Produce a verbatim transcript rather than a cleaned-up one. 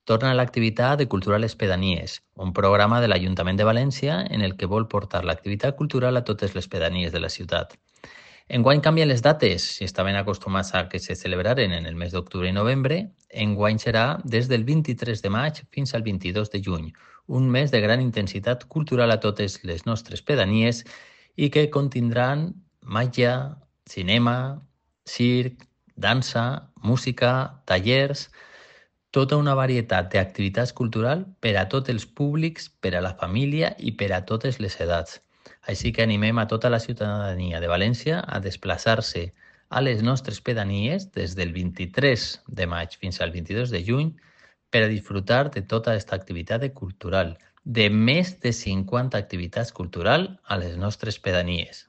torna l'activitat de Cultura a les Pedanies, un programa de l'Ajuntament de València en el que vol portar l'activitat cultural a totes les pedanies de la ciutat. Enguany canvien les dates. Si estaven acostumats a que se celebraren en el mes d'octubre i novembre, enguany serà des del vint-i-tres de maig fins al vint-i-dos de juny, un mes de gran intensitat cultural a totes les nostres pedanies i que contindran màgia, cinema, circ, dansa, música, tallers, tota una varietat d'activitats culturals per a tots els públics, per a la família i per a totes les edats. Així que animem a tota la ciutadania de València a desplaçar-se a les nostres pedanies des del vint-i-tres de maig fins al vint-i-dos de juny per a disfrutar de tota aquesta activitat cultural, de més de cinquanta activitats culturals a les nostres pedanies.